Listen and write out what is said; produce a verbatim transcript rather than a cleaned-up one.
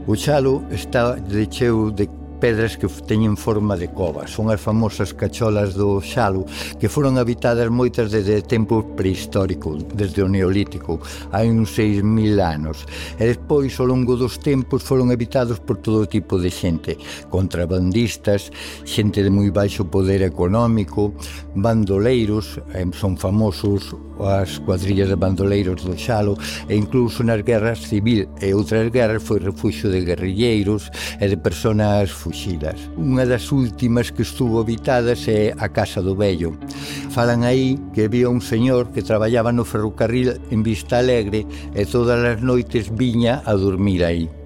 O Xalo está de cheo de pedras que teñen forma de cova. Son as famosas cacholas do Xalo, que foron habitadas moitas desde tempo prehistórico, desde o Neolítico, hai uns seis mil anos. E despois, ao longo dos tempos, foron habitados por todo tipo de xente, contrabandistas, xente de moi baixo poder económico, bandoleiros, son famosos as cuadrillas de bandoleiros do Xalo, e incluso nas guerras civil e outras guerras foi refuxio de guerrilleiros e de personas fuxidas. Unha das últimas que estuvo habitadas é a Casa do Vello. Falan aí que había un señor que traballaba no ferrocarril en Vista Alegre e todas as noites viña a dormir aí.